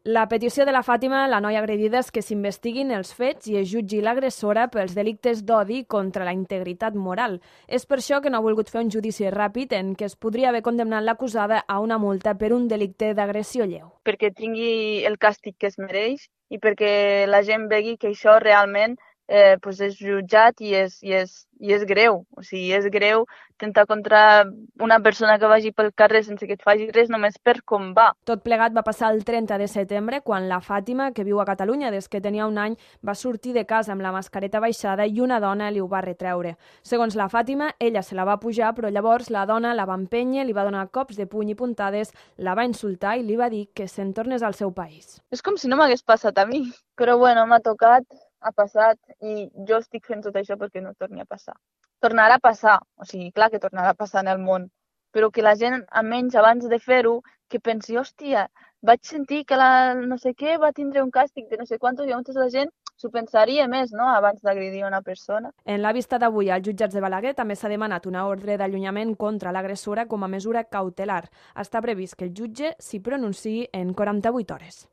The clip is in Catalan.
La petició de la Fàtima, la noia agredida, és que s'investiguin els fets i es jutgi l'agressora pels delictes d'odi contra la integritat moral. És per això que no ha volgut fer un judici ràpid en què es podria haver condemnat l'acusada a una multa per un delicte d'agressió lleu. Perquè tingui el càstig que es mereix i perquè la gent vegi que això realment pues és jutjat i és greu. O sigui, és greu tentar contra una persona que vagi pel carrer sense que et faci res només per com va. Tot plegat va passar el 30 de setembre, quan la Fàtima, que viu a Catalunya des que tenia un any, va sortir de casa amb la mascareta baixada i una dona li ho va retreure. Segons la Fàtima, ella se la va pujar, però llavors la dona la va empènyer, li va donar cops de puny i puntades, la va insultar i li va dir que se'n tornés al seu país. És com si no m'hagués passat a mi. Però bueno, m'ha tocat, ha passat i jo estic fent tot això perquè no torni a passar. Tornarà a passar, o sigui, clar que tornarà a passar en el món, però que la gent, almenys abans de fer-ho, que pensi, hòstia, vaig sentir que la no sé què va tindre un càstig de no sé quantos, i llavors la gent s'ho pensaria més, no?, abans d'agredir una persona. En la vista d'avui als jutjats de Balaguer també s'ha demanat una ordre d'allunyament contra l'agressora com a mesura cautelar. Està previst que el jutge s'hi pronunciï en 48 hores.